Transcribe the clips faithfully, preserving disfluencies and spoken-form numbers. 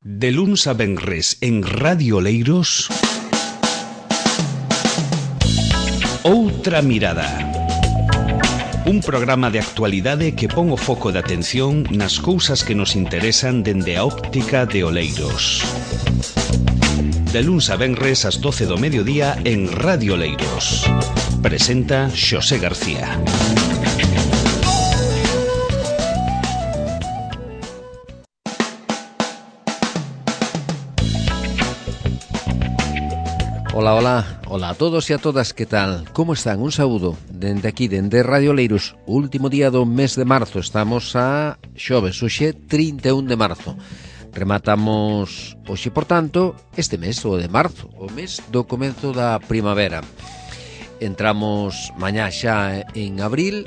De luns a venres en Radio Leiros, Outra Mirada. Un programa de actualidade que pon o foco de atención nas cousas que nos interesan dende a óptica de Oleiros. De luns a venres ás doce do mediodía en Radio Leiros. Presenta Xosé García. Ola, ola, ola a todos e a todas, que tal? Como están? Un saúdo dende aquí, dende Radio Leiros. O último día do mes de marzo, estamos a xoves, hoxe trinta e un de marzo. Rematamos hoxe, por tanto, este mes, o de marzo, o mes do comenzo da primavera. Entramos mañá xa en abril,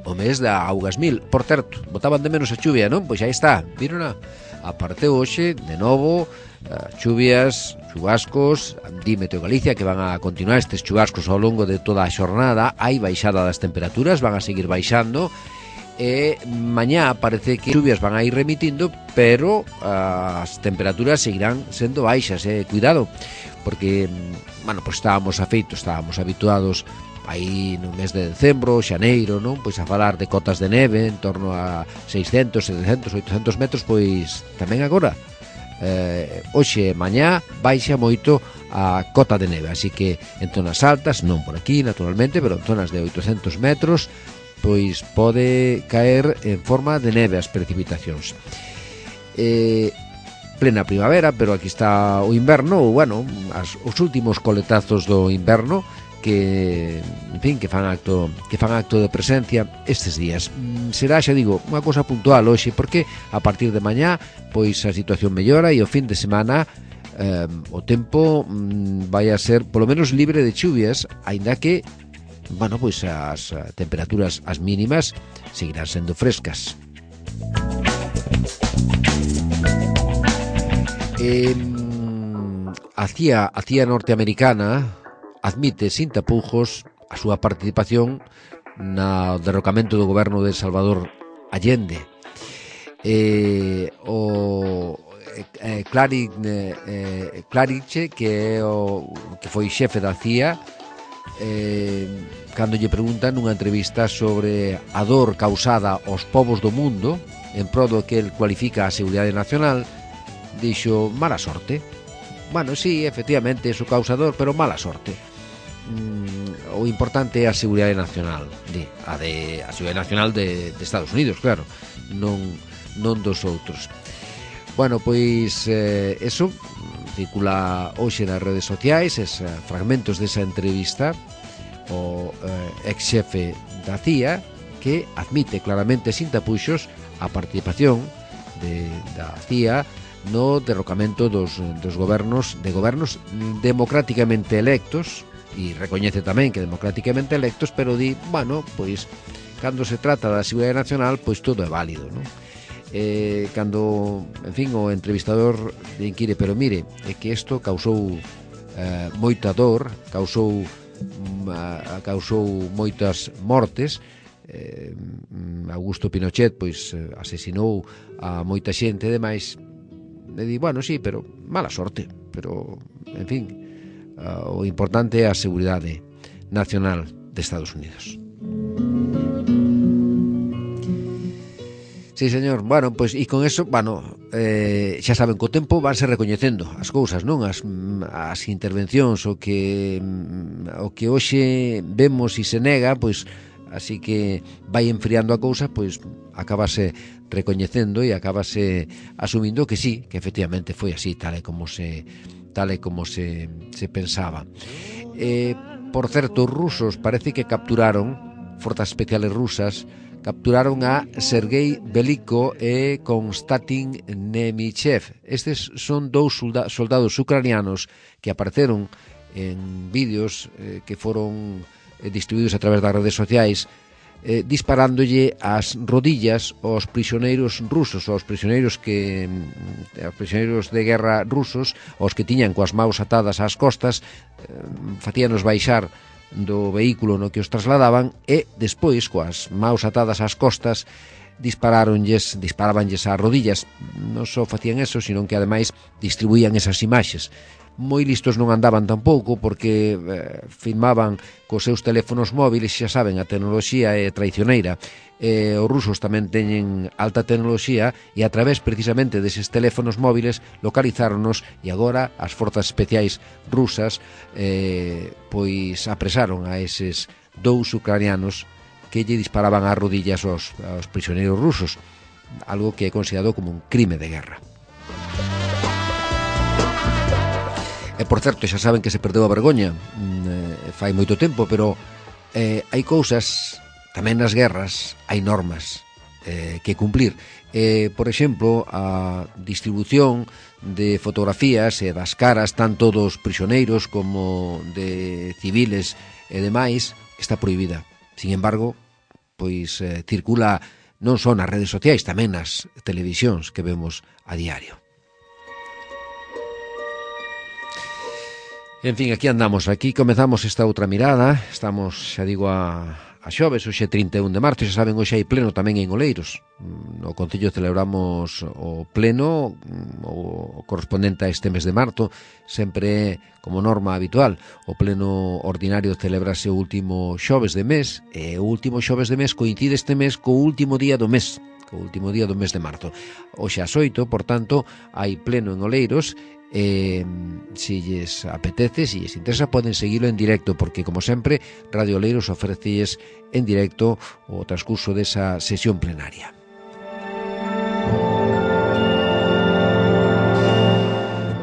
o mes da augas mil. Por certo, botaban de menos a chuvia, non? Pois aí está, viron a aparteu hoxe, de novo, uh, chuvias, chubascos. Di Meteo Galicia que van a continuar estes chubascos ao longo de toda a xornada. Hai baixada das temperaturas, van a seguir baixando, e mañá parece que chuvias van a ir remitindo, pero uh, as temperaturas seguirán sendo baixas, eh? Cuidado, porque, bueno, pues estábamos afeitos, estábamos habituados aí no mes de decembro, xaneiro, non? Pois a falar de cotas de neve en torno a seiscentos, setecentos, oitocentos metros, pois tamén agora eh, hoxe e mañá baixa moito a cota de neve, así que en zonas altas, non por aquí naturalmente, pero en zonas de oitocentos metros, pois pode caer en forma de neve as precipitacións. Eh, plena primavera, pero aquí está o inverno, ou bueno, as, os últimos coletazos do inverno, que, en fin, que fan acto que fan acto de presencia estes días. Será, xa digo, unha cousa puntual hoxe, porque a partir de mañá pois a situación mellora e o fin de semana eh, o tempo mm, vai a ser polo menos libre de chuvias, aínda que, bueno, pois as temperaturas, as mínimas, seguirán sendo frescas. Eh, a CIA, a CIA norteamericana admite sin tapujos a súa participación no derrocamento do goberno de Salvador Allende. Eh, o eh, Clarice, eh, Clarice, que é o que foi xefe da CIA, eh, cando lle preguntan nunha entrevista sobre a dor causada aos povos do mundo en pro do que el cualifica a seguridade nacional, dixo: mala sorte. Bueno, sí, efectivamente, é o causador, pero mala sorte. Mm, o importante é a seguridade nacional, di, a, de, a seguridade nacional de, de Estados Unidos, claro, non, non dos outros. Bueno, pois eh, eso circula hoxe nas redes sociais, es, eh, fragmentos desa entrevista o eh, ex xefe da CIA, que admite claramente sin tapuxos a participación de, da CIA no derrocamento dos, dos gobernos de gobernos democráticamente electos, e recoñece tamén que democráticamente electos, pero di, bueno, pois cando se trata da seguridade nacional, pois todo é válido, non? Eh, cando, en fin, o entrevistador inquire, pero mire, é que isto causou eh, moita dor, causou uh, causou moitas mortes. eh, Augusto Pinochet pois asesinou a moita xente e demais. E di, bueno, sí, pero mala sorte, pero, en fin, uh, o importante é a seguridade nacional de Estados Unidos. Sí, señor. Bueno, pois, e con eso, bueno, eh, xa saben que o tempo vanse recoñecendo as cousas, non? As, as intervencións, o que o que hoxe vemos e se nega, pois, así que vai enfriando a cousa, pois acabase recoñecendo e acabase asumindo que sí, que efectivamente foi así, tal e como se tal e como se, se pensaba. Eh, por certo, os rusos parece que capturaron, forzas especiales rusas, capturaron a Sergei Veliko e Konstantin Nemichev. Estes son dous solda- soldados ucranianos que apareceron en vídeos eh, que foron eh, distribuídos a través das redes sociais, eh, disparándolle as rodillas aos prisioneiros rusos, aos prisioneiros que aos prisioneiros de guerra rusos, aos que tiñan coas maus atadas ás costas, eh, facíanos baixar do vehículo no que os trasladaban, e despois, coas maus atadas ás costas, dispararonlles, disparabanlles ás rodillas. Non só facían eso, sino que ademais distribuían esas imaxes. Moi listos non andaban tampouco, porque eh, filmaban cos seus teléfonos móviles. Xa saben, a tecnoloxía é traicioneira. Eh, os rusos tamén teñen alta tecnoloxía, e a través precisamente deses teléfonos móviles localizáronos, e agora as forzas especiais rusas eh, pois apresaron a eses dous ucranianos que lle disparaban ás rodillas aos, aos prisioneiros rusos, algo que é considerado como un crime de guerra. E, por certo, xa saben que se perdeu a vergoña, eh, fai moito tempo, pero eh, hai cousas, tamén nas guerras, hai normas eh, que cumplir. Eh, por exemplo, a distribución de fotografías e das caras, tanto dos prisioneiros como de civiles e demais, está prohibida. Sin embargo, pois eh, circula non só nas redes sociais, tamén nas televisións que vemos a diario. En fin, aquí andamos, aquí comezamos esta outra mirada. Estamos, xa digo, a, a xoves, hoxe trinta e un de marzo. Xa saben, hoxe hai pleno tamén en Oleiros. No Concello celebramos o pleno, o correspondente a este mes de marzo. Sempre, como norma habitual, o pleno ordinario celebrase o último xoves de mes, e o último xoves de mes coincide este mes co último día do mes, co último día do mes de marzo. Hoxe ás oito, por tanto, hai pleno en Oleiros. Eh, si lles apetece, si lles interesa, poden seguilo en directo, porque, como sempre, Radio Oleiros ofrecelles en directo o transcurso desa sesión plenaria.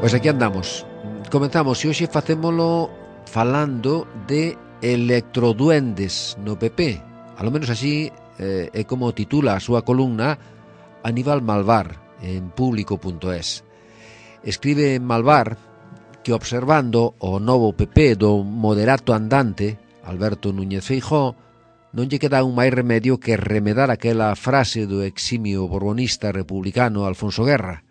Pois aquí andamos. Comenzamos, e hoxe facémolo falando de electroduendes no P P. A lo menos así eh, é como titula a súa columna Aníbal Malvar en público punto es. Escribe Malvar que, observando o novo P P do moderato andante Alberto Núñez Feijóo, non lle queda un máis remedio que remedar aquela frase do eximio borbonista republicano Alfonso Guerra: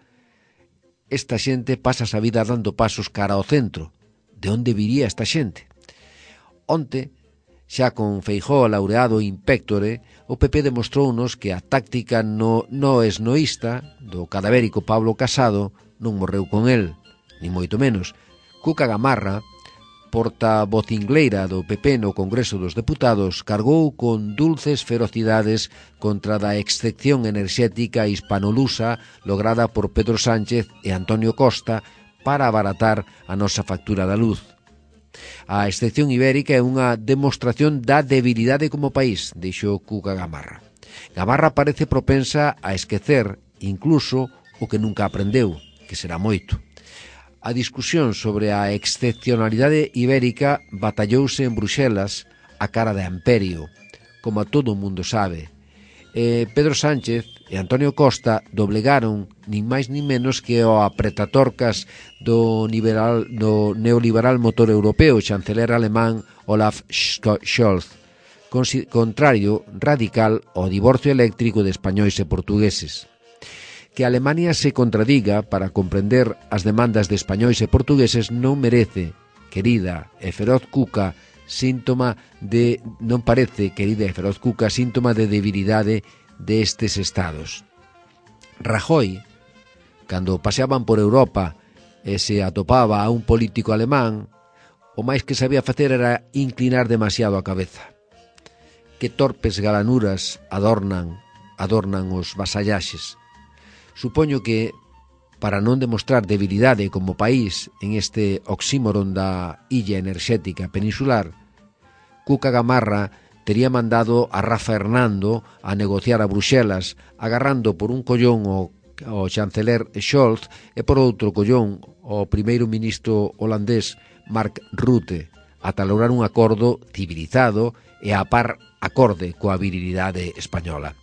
esta xente pasa a vida dando pasos cara ao centro. De onde viría esta xente? Onte, xa con Feijóo laureado in pectore, o P P demostrounos que a táctica no, no esnoísta do cadavérico Pablo Casado non morreu con el, ni moito menos. Cuca Gamarra, portavocingleira do P P no Congreso dos Deputados, cargou con dulces ferocidades contra da excepción enerxética hispanolusa lograda por Pedro Sánchez e Antonio Costa para abaratar a nosa factura da luz. A excepción ibérica é unha demostración da debilidade como país, dixo Cuca Gamarra. Gamarra parece propensa a esquecer incluso o que nunca aprendeu, que será moito. A discusión sobre a excepcionalidade ibérica batallouse en Bruxelas a cara de Amperio, como a todo o mundo sabe. E Pedro Sánchez e Antonio Costa doblegaron nin máis nin menos que o apretatorcas do, liberal, do neoliberal motor europeo, chanceler alemán Olaf Scholz, contrario radical ao divorcio eléctrico de españois e portugueses. Que Alemania se contradiga para comprender as demandas de españois e portugueses non merece, querida e feroz Cuca, síntoma de non parece, querida e feroz Cuca, síntoma de debilidade destes estados. Rajoy, cando paseaban por Europa e se atopaba a un político alemán, o máis que sabía facer era inclinar demasiado a cabeza. Que torpes galanuras adornan, adornan os vasallaxes. Supoño que, para non demostrar debilidade como país en este oxímoron da illa enerxética peninsular, Cuca Gamarra tería mandado a Rafa Hernando a negociar a Bruxelas, agarrando por un collón o, o chanceler Scholz e por outro collón o primeiro ministro holandés Mark Rutte, ata lograr un acordo civilizado e a par acorde coa virilidade española.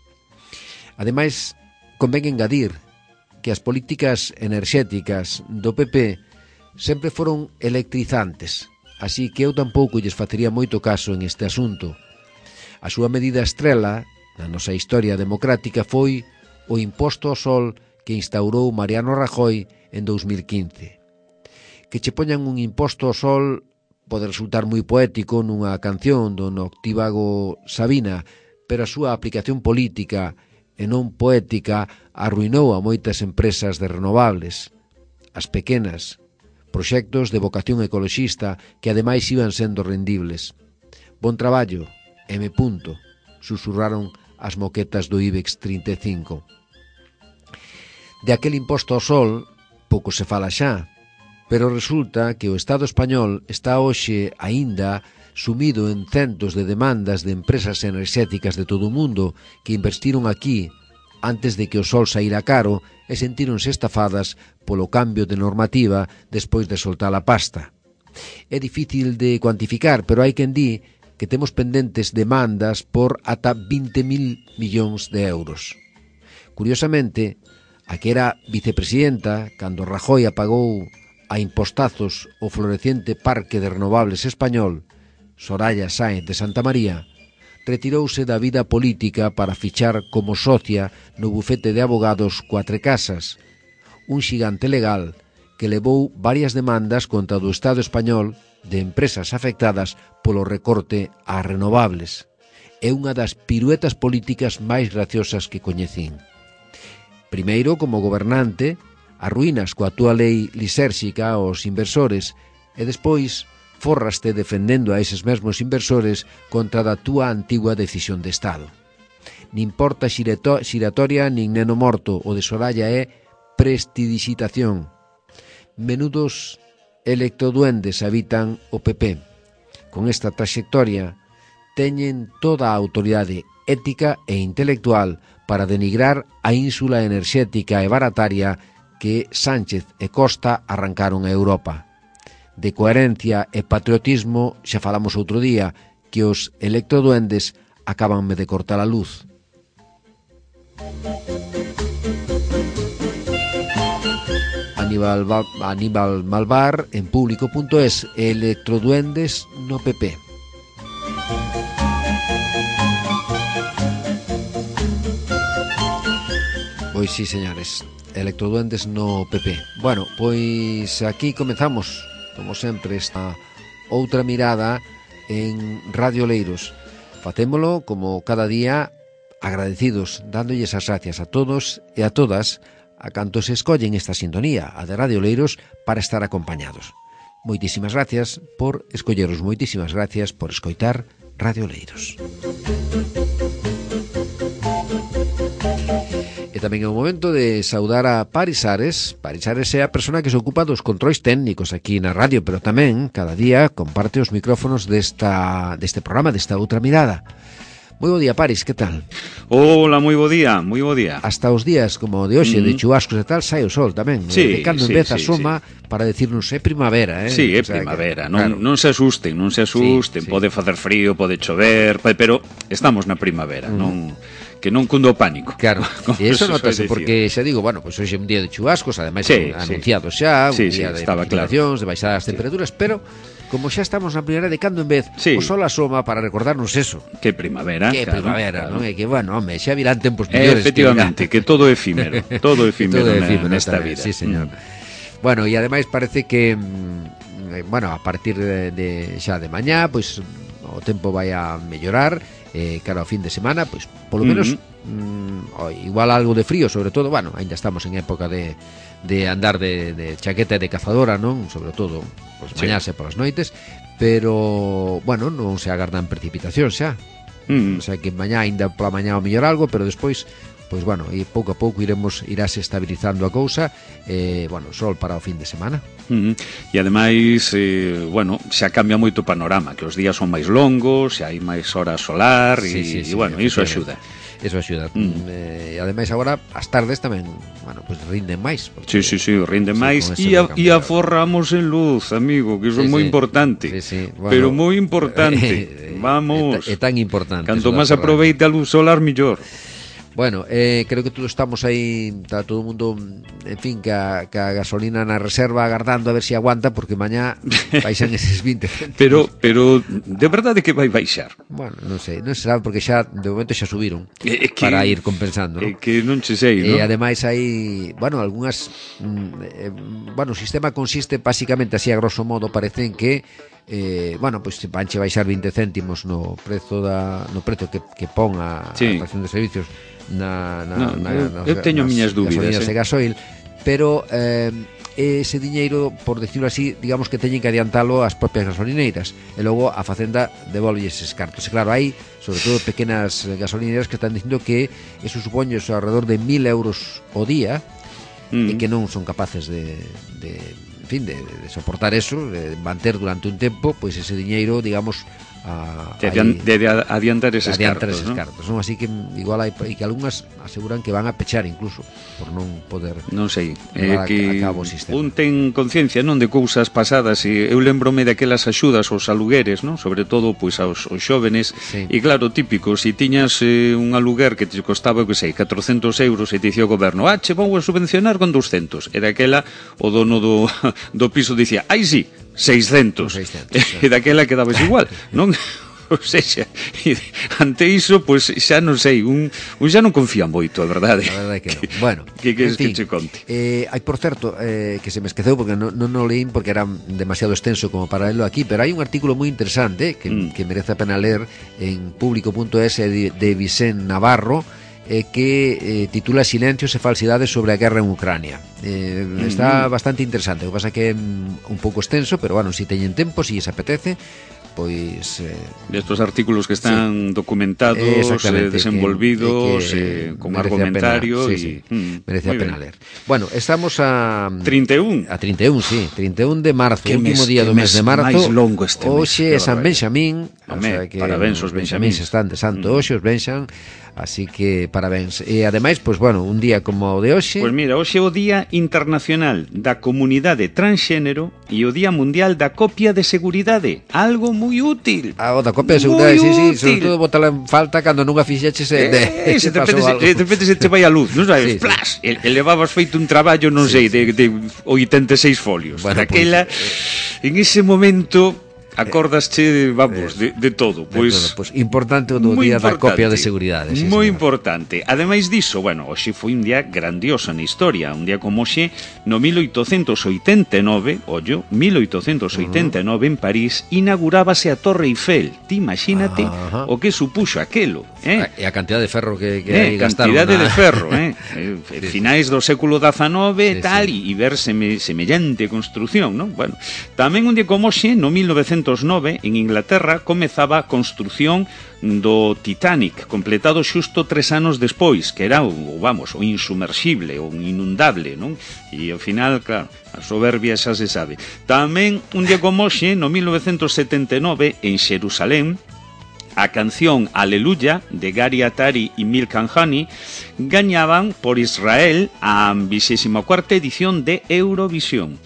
Ademais, convén engadir que as políticas enerxéticas do P P sempre foron electrizantes, así que eu tampouco lles facería moito caso en este asunto. A súa medida estrela na nosa historia democrática foi o imposto ao sol que instaurou Mariano Rajoy en dous mil quince. Que che poñan un imposto ao sol pode resultar moi poético nunha canción do noctívago Sabina, pero a súa aplicación política e non poética, arruinou a moitas empresas de renovables, as pequenas, proxectos de vocación ecoloxista que ademais iban sendo rendibles. Bon traballo, M. Susurraron as moquetas do IBEX trinta e cinco. De aquel imposto ao sol, pouco se fala xa, pero resulta que o Estado español está hoxe aínda sumido en centos de demandas de empresas enerxéticas de todo o mundo que investiron aquí antes de que o sol saíra caro e sentíronse estafadas polo cambio de normativa despois de soltar a pasta. É difícil de cuantificar, pero hai quen di que temos pendentes demandas por ata vinte mil millóns de euros. Curiosamente, a que era vicepresidenta cando Rajoy apagou a impostazos o floreciente Parque de Renovables español, Soraya Sáenz de Santamaría, retirouse da vida política para fichar como socia no bufete de abogados Cuatrecasas, un xigante legal que levou varias demandas contra o Estado español de empresas afectadas polo recorte ás renovables. É unha das piruetas políticas máis graciosas que coñecín. Primeiro, como gobernante, arruínas coa túa lei lisérxica aos inversores e despois forraste defendendo a eses mesmos inversores contra da túa antigua decisión de Estado. Nin porta xiratoria nin neno morto, o de Soraya é prestidixitación. Menudos electroduendes habitan o P P. Con esta traxectoria teñen toda a autoridade ética e intelectual para denigrar a ínsula enerxética e barataria que Sánchez e Costa arrancaron a Europa. De coherencia e patriotismo xa falamos outro día, que os electroduendes acabanme de cortar a luz. Aníbal, Aníbal Malvar en público punto es, electroduendes no P P. Pois sí, señores, electroduendes no P P. Bueno, pois aquí comezamos, como sempre, esta outra mirada en Radio Leiros. Facémolo, como cada día, agradecidos, dándolles as gracias a todos e a todas a cantos escollen esta sintonía, a de Radio Leiros, para estar acompañados. Moitísimas gracias por escolleros, moitísimas gracias por escoitar Radio Leiros. E tamén é o momento de saudar a Paris Ares. Paris Ares é a persona que se ocupa dos controis técnicos aquí na radio, pero tamén cada día comparte os micrófonos desta, deste programa, desta outra mirada. Moi bo día, Paris, que tal? Hola, moi bo día, moi bo día. Hasta os días como de hoxe, mm. de chubascos e tal, sai o sol tamén. Sí, de cando sí, en vez sí, asoma sí. Para decirnos é primavera, eh? Sí, é o sea, primavera, que, non, claro. non se asusten, non se asusten, sí, sí. Pode facer frío, pode chover, pero estamos na primavera, mm. non... que non cundo o pánico. Claro, e iso notase porque xa digo, bueno, pois pues hoxe é un día de chubascos, ademais sí, anunciado sí. xa, un sí, día sí, de precipitacións, claro. de baixadas as temperaturas, sí. Pero como xa estamos na primavera, de cando en vez sí. O sol asoma para recordarnos eso. Que primavera, que claro, primavera, claro. non? E que, bueno, home, xa virán tempos eh, mellores. Efectivamente, que, que todo é efímero, todo é efímero, todo efímero nesta vida. Sí, señor. Mm. Bueno, e ademais parece que, bueno, a partir de, de xa de mañá, pois o tempo vai a mellorar, eh, cara ao fin de semana, pois polo menos mm-hmm. mm, igual algo de frío, sobre todo, bueno, ainda estamos en época de de andar de, de chaqueta e de cazadora, non? Sobre todo, pois pues, mañás sí. E polas noites, pero, bueno, non se agardan precipitacións xa. Mm. O sea que mañá ainda pola mañá o mellor algo, pero despois, pois pues, bueno, e pouco a pouco iremos irase estabilizando a cousa, eh, bueno, sol para o fin de semana. Mm. E ademais, eh, bueno, xa cambia moito o panorama, que os días son máis longos, xa hai máis horas solar, e, sí, sí, sí, e bueno, iso axuda. Eso axuda. Mm. Eh, e ademais agora as tardes tamén, bueno, pois pues rinden máis. Porque, sí, sí, sí, rinden sí, máis e, a, e aforramos en luz, amigo, que iso é sí, moi sí. importante. Sí, sí. Bueno, pero moi importante. Vamos. É tan importante. Canto máis aproveite a luz solar, mellor. Bueno, eh, creo que todos estamos aí, está todo o mundo, en fin, que a, que a gasolina na reserva agardando a ver se si aguanta, porque mañá baixan eses vinte céntimos. Pero, pero de verdade que vai baixar. Bueno, non sei, non se sabe porque xa, de momento xa subiron é que, para ir compensando, é ¿no? que non che sei, ¿no? E ¿no? ademais hai, bueno, algunhas, mm, eh, bueno, o sistema consiste básicamente así a grosso modo, parece en que eh, bueno, pois pues, vanche baixar vinte céntimos no prezo da no prezo que, que pon a, sí. a estación de servicios na, na, no, na, eu, nas, eu teño nas miñas dúbidas eh. de gasoil, pero eh, ese diñeiro, por decirlo así, digamos que teñen que adiantalo as propias gasolineiras e logo a Facenda devolve eses cartos. E claro, hai sobre todo pequenas gasolineiras que están dicindo que eso supone alrededor de mil euros o día mm. e que non son capaces de, de en fin, de, de soportar eso, de manter durante un tempo pois ese diñeiro, digamos, a, de, adian, de, de adiantar eses adiantar cartos, eses ¿no? cartos, non? Así que igual hai e que algunhas aseguran que van a pechar incluso por non poder non sei, eh, que a cabo o sistema. Un ten conciencia, non, de cousas pasadas e eu lembrome daquelas axudas aos alugueres, non? Sobre todo pois aos, aos xóvenes sí. E claro, típico, se si tiñas eh, un aluguer que te costaba, que sei, catrocentos euros e te dicía o goberno, ah, che vou a subvencionar con doscentos, e daquela o dono do, do piso dicía, ai sí, seiscentos, seiscentos e daquela quedabas igual, non? O sea, ante iso, pois pues, xa non sei, un, un xa non confía moito, a verdade. A verdade que non. Bueno, que queres que che conte? Eh, hai, por certo, eh, que se me esqueceu porque non, non o leín porque era demasiado extenso como para leerlo aquí, pero hai un artículo moi interesante que, mm. que merece a pena ler en público punto es de, de Vicente Navarro, eh, que eh, titula Silencios e falsidades sobre a guerra en Ucrania. Eh, mm-hmm. Está bastante interesante, o que pasa que é un pouco extenso, pero bueno, si teñen tempo, si se apetece, pois eh, estos artículos que están sí. documentados, eh, desenvolvidos, que, que eh, con argumentario pena, sí, sí. Mm, merece a pena ler. Bueno, estamos a trinta e un a trinta e un, sí, trinta e un de marzo, que último mes, día do mes de marzo. Máis longo este hoxe é San Benxamín, o sea que parabéns aos Benxamíns, están de santo mm. hoxe os Benxan. Así que parabéns. E ademais, pois bueno, un día como o de hoxe. Pois mira, hoxe é o Día Internacional da Comunidade Transxénero e o Día Mundial da Copia de Seguridade. Algo moi útil. Ah, o da copia de seguridade, sí, sí, sobre todo botala en falta cando nunha fixeches e de, eh, se de repente se, de repente se te vai a luz, non sabes? Sí, Plas, sí. E, e levabas feito un traballo, non sí, sei, sí. de, de oitenta e seis folios. Bueno, Aquela, pues, en ese momento acordasche, vamos, de, de todo. Pois, pues, importante o do día da copia de seguridade. Sí, moi importante. Ademais diso, bueno, hoxe foi un día grandioso na historia. Un día como hoxe, no mil oitocentos oitenta e nove, ollo, mil oitocentos oitenta e nove, uh -huh. en París, inaugurábase a Torre Eiffel. Ti imagínate uh -huh. o que supuxo aquelo. Eh? E a cantidad de ferro que, que eh, aí gastaron. Cantidade na... de ferro, eh? eh finais do século dezanove, sí, tal, e sí. ver seme, semellante construción, non? Bueno, tamén un día como hoxe, no mil novecentos nove, en Inglaterra, comezaba a construción do Titanic, completado xusto tres anos despois, que era, o, vamos, o insumerxible, o inundable, non? E ao final, claro, a soberbia xa se sabe. Tamén, un día como hoxe, no mil novecentos setenta e nove, en Xerusalén, a canción Aleluya de Gary Atari e Milk and Honey gañaban por Israel a vixésima cuarta edición de Eurovisión.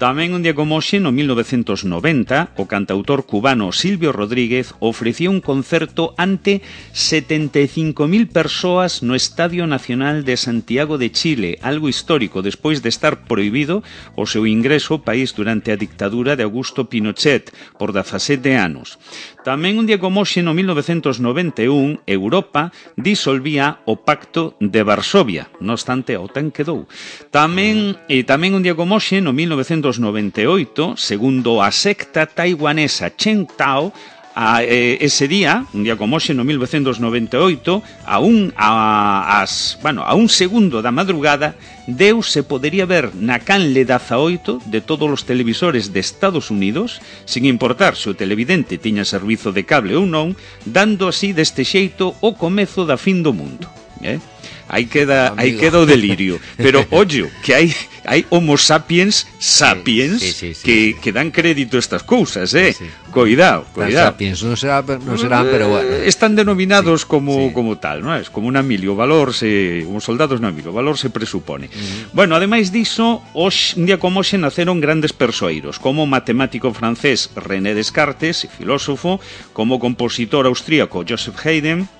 Tamén un día como hoxe, no mil novecentos noventa, o cantautor cubano Silvio Rodríguez ofrecía un concerto ante setenta e cinco mil persoas no Estadio Nacional de Santiago de Chile, algo histórico despois de estar prohibido o seu ingreso ao país durante a dictadura de Augusto Pinochet por dezasete anos. Tamén un día como hoxe, no mil novecentos noventa e un, Europa disolvía o Pacto de Varsovia, no obstante a OTAN quedou. Tamén, e tamén un día como hoxe, no mil novecentos noventa e oito, segundo a secta taiwanesa Chen Tao, a, eh, ese día, un día como hoxe, no mil novecentos noventa e oito, a un, a, as, bueno, a un segundo da madrugada, Deus se podería ver na canle dezaoito de todos os televisores de Estados Unidos, sin importar se o televidente tiña servizo de cable ou non, dando así deste xeito o comezo da fin do mundo. Eh? Aí queda, aí queda o delirio. Pero, ollo, que hai hai homo sapiens sapiens sí, sí, sí, sí, que, sí. que dan crédito a estas cousas, eh? Sí, sí. Cuidado, cuidado. Sapiens non, será, non serán, pero bueno. Están denominados sí, como, sí. como tal, non é? Como un Emilio, valor se... Como soldados no Emilio, valor se presupone. Uh -huh. Bueno, ademais diso, hoxe, un día como hoxe naceron grandes persoeiros, como o matemático francés René Descartes, filósofo, como o compositor austríaco Joseph Haydn,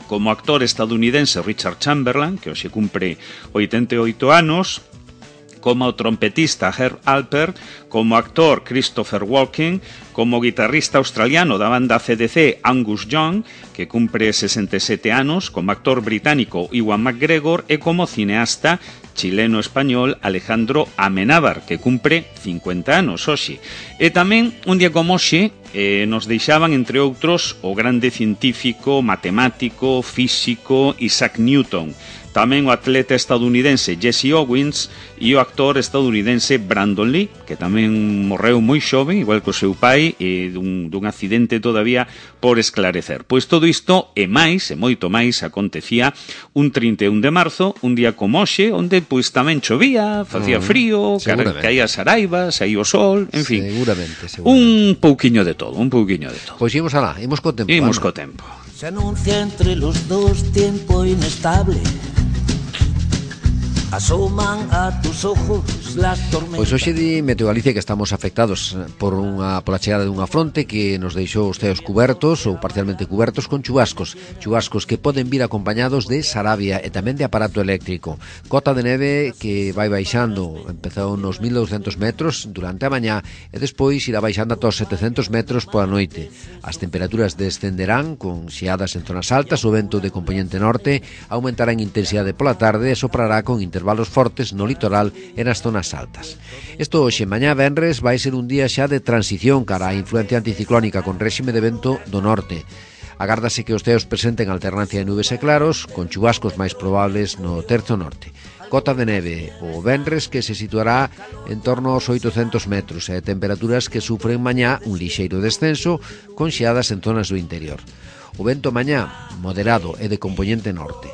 como actor estadounidense Richard Chamberlain, que hoxe cumpre oitenta e oito anos, como o trompetista Herb Alpert, como actor Christopher Walken, como guitarrista australiano da banda C D C Angus Young, que cumpre sesenta e sete anos, como actor británico Ewan McGregor e como cineasta chileno-español Alejandro Amenábar, que cumpre cincuenta anos hoxe. E tamén, un día como hoxe, eh, nos deixaban, entre outros, o grande científico, matemático, físico Isaac Newton, tamén o atleta estadounidense Jesse Owens e o actor estadounidense Brandon Lee, que tamén morreu moi xoven, igual que o seu pai, e dun, dun accidente todavía por esclarecer. Pois todo isto e máis, e moito máis, acontecía un trinta e un de marzo, un día como hoxe, onde pois tamén chovía, facía frío, mm, caía saraiva, saía o sol, en fin. Seguramente, seguramente. Un pouquiño de todo, un pouquiño de todo. Pois imos alá, imos co tempo. Imos co tempo. Se anuncia entre los dos tiempo inestable. Asoman a tus ojos las tormentas. Pois hoxe di Meteo Galicia que estamos afectados por unha pola chegada dunha fronte que nos deixou os ceos cubertos ou parcialmente cubertos con chubascos, chubascos que poden vir acompañados de sarabia e tamén de aparato eléctrico. Cota de neve que vai baixando, empezou nos mil douscentos metros durante a mañá e despois irá baixando ata os setecentos metros pola noite. As temperaturas descenderán con xeadas en zonas altas, o vento de componente norte aumentará en intensidade pola tarde e soprará con intervalos fortes no litoral e nas zonas altas. Isto hoxe, mañá venres, vai ser un día xa de transición cara á influencia anticiclónica con réxime de vento do norte. Agárdase que os ceos presenten alternancia de nubes e claros, con chubascos máis probables no terzo norte. Cota de neve o venres que se situará en torno aos oitocentos metros e temperaturas que sufren mañá un lixeiro descenso con xeadas en zonas do interior. O vento mañá moderado e de componente norte.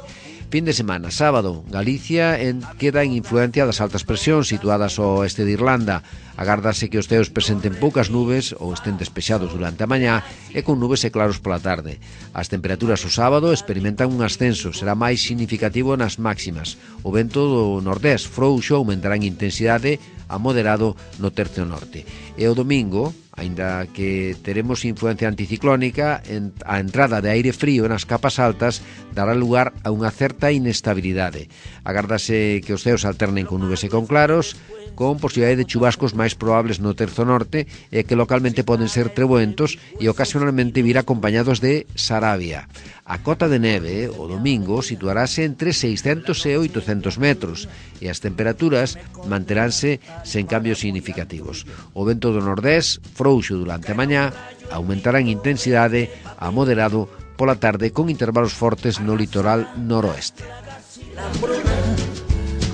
Fin de semana, sábado, Galicia en, queda en influencia das altas presións situadas ao oeste de Irlanda. Agárdase que os ceos presenten poucas nubes ou estén despexados durante a mañá e con nubes e claros pola tarde. As temperaturas o sábado experimentan un ascenso, será máis significativo nas máximas. O vento do nordés frouxo aumentará en intensidade a moderado no tercio norte. E o domingo, aínda que teremos influencia anticiclónica, a entrada de aire frío nas capas altas dará lugar a unha certa inestabilidade. Agárdase que os ceos alternen con nubes e con claros, con posibilidade de chubascos máis probables no terzo norte e que localmente poden ser treboentos e ocasionalmente vir acompañados de sarabia. A cota de neve o domingo situarase entre seiscentos e oitocentos metros e as temperaturas manteránse sen cambios significativos. O vento do nordés, frouxo durante a mañá, aumentará en intensidade a moderado pola tarde con intervalos fortes no litoral noroeste.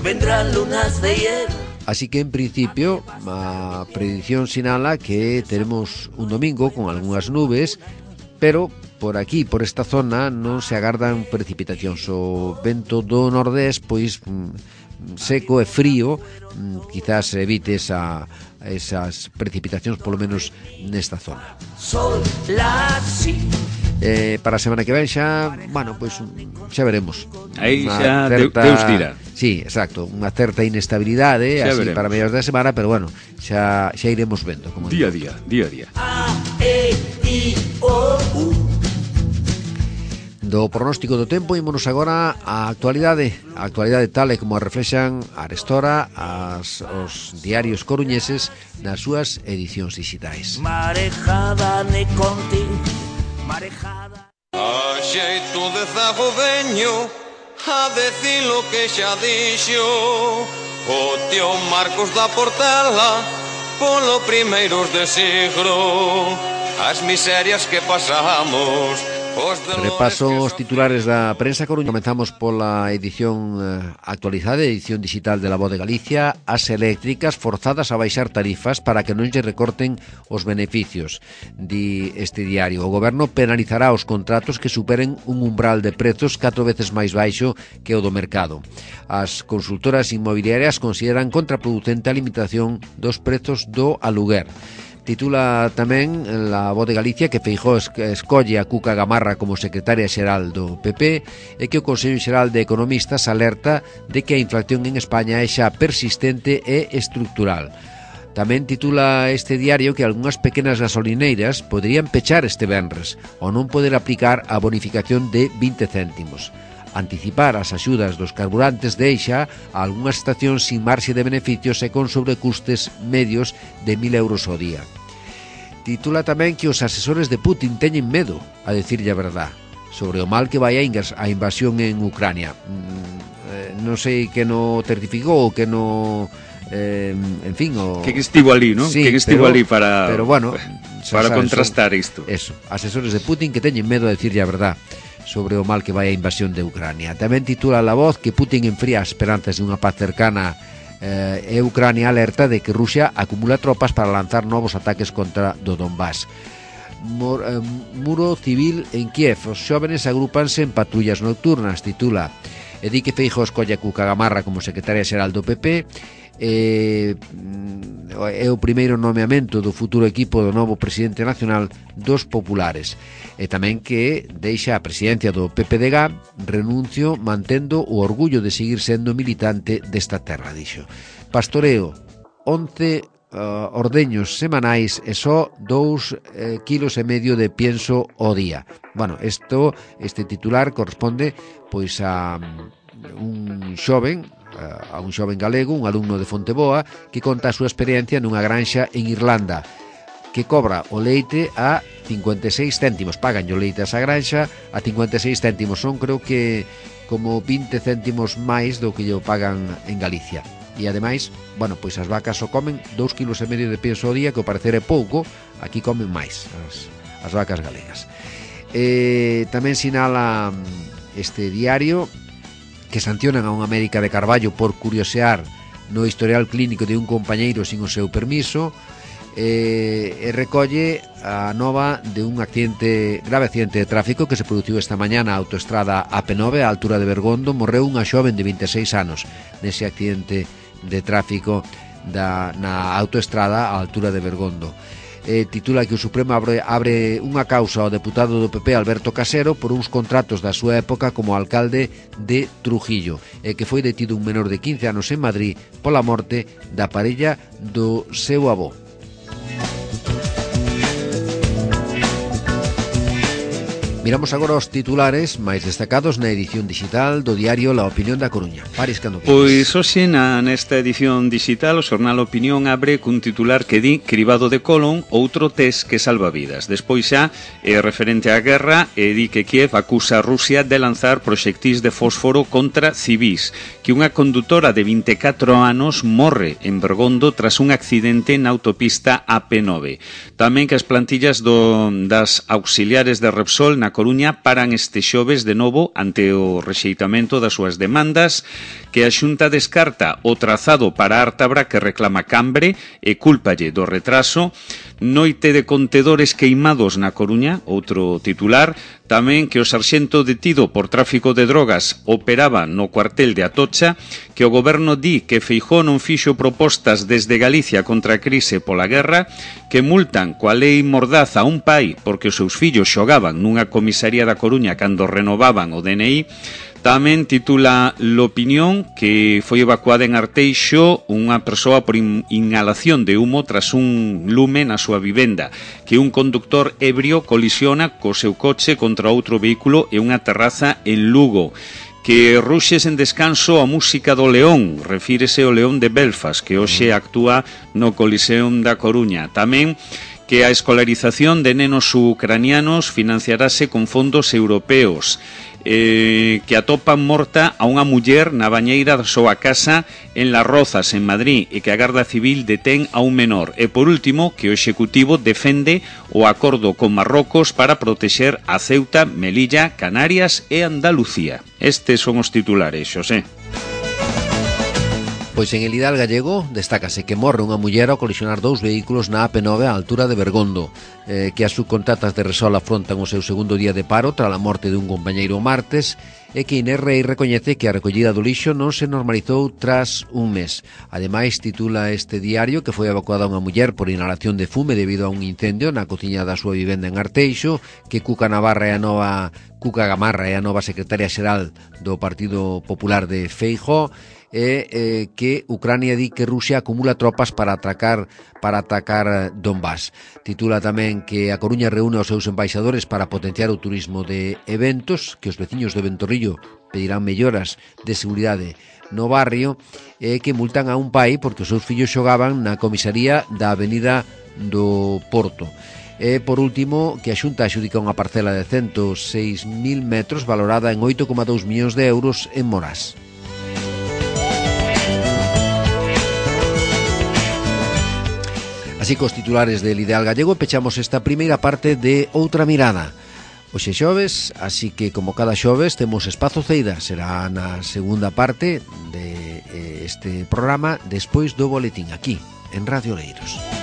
Vendrán lunas de hielo. Así que, en principio, a predicción sinala que teremos un domingo con algunhas nubes, pero por aquí, por esta zona, non se agardan precipitacións. O vento do nordés, pois, seco e frío, quizás evite esa, esas precipitacións, polo menos nesta zona. Sol, la, si. Eh, para a semana que ven xa, bueno, pois xa veremos. Aí Unha xa certa, Deus dirá. Sí, exacto, unha certa inestabilidade xa así veremos. Para mediados da semana, pero bueno, xa xa iremos vendo como día a día, día a día. A, E, I, O, U. Do pronóstico do tempo ímonos agora á actualidade. A actualidade tal e como a reflexan arestora as, os diarios coruñeses nas súas edicións digitais. Marejada ne conti, marejada. A xeito de zagoveño, a decir lo que xa dixo o tío Marcos da Portela polo primeiros de siglo, as miserias que pasamos. Repaso os titulares da prensa coruña. Comenzamos pola edición eh, actualizada, edición digital de La Voz de Galicia. As eléctricas forzadas a baixar tarifas para que non lle recorten os beneficios, di este diario. O goberno penalizará os contratos que superen un umbral de prezos catro veces máis baixo que o do mercado. As consultoras inmobiliarias consideran contraproducente a limitación dos prezos do aluguer. Titula tamén La Voz de Galicia que Feijóo escolle a Cuca Gamarra como secretaria xeral do P P e que o Consello Xeral de Economistas alerta de que a inflación en España é xa persistente e estructural. Tamén titula este diario que algunhas pequenas gasolineiras poderían pechar este venres ou non poder aplicar a bonificación de vinte céntimos. Anticipar as axudas dos carburantes deixa a algunhas estacións sin marxe de beneficios e con sobrecustes medios de mil euros ao día. Titula tamén que os asesores de Putin teñen medo a decirlle a verdad sobre o mal que vai a invasión en Ucrania. eh, non sei que no certificou, que no... Eh, en fin, o... que estivo ali, non? Sí, que estivo pero, ali para pero bueno, para sabes, contrastar son, isto. Eso, asesores de Putin que teñen medo de decirlle a verdad sobre o mal que vai a invasión de Ucrania. Tamén titula La Voz que Putin enfría as esperanzas de unha paz cercana eh, e Ucrania alerta de que Rusia acumula tropas para lanzar novos ataques contra do Donbass. Mor, eh, muro civil en Kiev, os xóvenes agrúpanse en patrullas nocturnas, titula, e di que Feijóo escolle a Cuca Gamarra como secretaria xeral do P P. Eh, é o primeiro nomeamento do futuro equipo do novo presidente nacional dos populares, e tamén que deixa a presidencia do P P D G, renuncio mantendo o orgullo de seguir sendo militante desta terra, dixo. Pastoreo, once uh, ordeños semanais e só dous eh, kilos e medio de pienso ao día. Bueno, esto, este titular corresponde pois a um, un xoven a un xoven galego, un alumno de Fonteboa, que conta a súa experiencia nunha granxa en Irlanda, que cobra o leite a cincuenta e seis céntimos, pagan o leite a esa granxa a cincuenta e seis céntimos, son creo que como vinte céntimos máis do que lle pagan en Galicia. E ademais, bueno, pois as vacas só comen dous kilos e medio de peso ao día, que ao parecer é pouco, aquí comen máis as, as vacas galegas. Eh, tamén sinala este diario que sancionan a unha médica de Carballo por curiosear no historial clínico de un compañeiro sin o seu permiso, e, e recolle a nova de un accidente, grave accidente de tráfico que se produciu esta mañá na autoestrada A P nove a altura de Bergondo. Morreu unha xoven de vinte e seis anos nese accidente de tráfico da, na autoestrada a altura de Bergondo. Eh, titula que o Supremo abre, abre unha causa ao deputado do P P Alberto Casero por uns contratos da súa época como alcalde de Trujillo, e que foi detido un menor de quince anos en Madrid pola morte da parella do seu avó. Miramos agora os titulares máis destacados na edición digital do diario La Opinión da Coruña. Paris, cando queres. Pois hoxe na, nesta edición digital o xornal Opinión abre cun titular que di cribado de Colón, outro test que salva vidas. Despois xa é referente á guerra e di que Kiev acusa a Rusia de lanzar proxectís de fósforo contra civís, que unha condutora de vinte e catro anos morre en Bergondo tras un accidente na autopista A P nove. Tamén que as plantillas do, das auxiliares de Repsol na Coruña paran este xoves de novo ante o rexeitamento das súas demandas, que a Xunta descarta o trazado para Ártabra que reclama Cambre e cúlpalle do retraso. Noite de contedores queimados na Coruña, outro titular. Tamén que o sarxento detido por tráfico de drogas operaba no cuartel de Atocha, que o goberno di que Feijóo non fixo propostas desde Galicia contra a crise pola guerra, que multan coa lei Mordaz a un pai porque os seus fillos xogaban nunha comisaría da Coruña cando renovaban o D N I. Tamén titula L'Opinión que foi evacuada en Arteixo unha persoa por inhalación de humo tras un lume na súa vivenda, que un conductor ebrio colisiona co seu coche contra outro vehículo e unha terraza en Lugo, que ruxes en descanso a música do León, refírese ao León de Belfast, que hoxe actúa no Coliseum da Coruña. Tamén que a escolarización de nenos ucranianos financiarase con fondos europeos, eh, que atopan morta a unha muller na bañeira da súa casa en Las Rozas, en Madrid, e que a Garda Civil detén a un menor. E por último, que o Executivo defende o acordo con Marrocos para protexer a Ceuta, Melilla, Canarias e Andalucía. Estes son os titulares, Xosé. Pois en el Hidal gallego destácase que morre unha muller ao colisionar dous vehículos na A P nove á altura de Bergondo, eh, que as subcontratas de Resol afrontan o seu segundo día de paro tras a morte dun compañeiro o martes, e que Inés Rei recoñece que a recollida do lixo non se normalizou tras un mes. Ademais, titula este diario que foi evacuada unha muller por inhalación de fume debido a un incendio na cociña da súa vivenda en Arteixo, que Cuca Navarra é a nova Cuca Gamarra é a nova secretaria xeral do Partido Popular de Feijóo, e eh, que Ucrania di que Rusia acumula tropas para atacar para atacar Donbass. Titula tamén que a Coruña reúne aos seus embaixadores para potenciar o turismo de eventos, que os veciños de Ventorrillo pedirán melloras de seguridade no barrio, e que multan a un pai porque os seus fillos xogaban na comisaría da Avenida do Porto. E, por último, que a Xunta adxudica unha parcela de ciento seis mil metros valorada en oito coma dous millóns de euros en Morás. Así cos titulares del Ideal Gallego pechamos esta primeira parte de Outra Mirada. Hoxe xoves, así que como cada xoves temos Espazo Ceida, será na segunda parte de eh, este programa despois do boletín aquí en Radio Oleiros.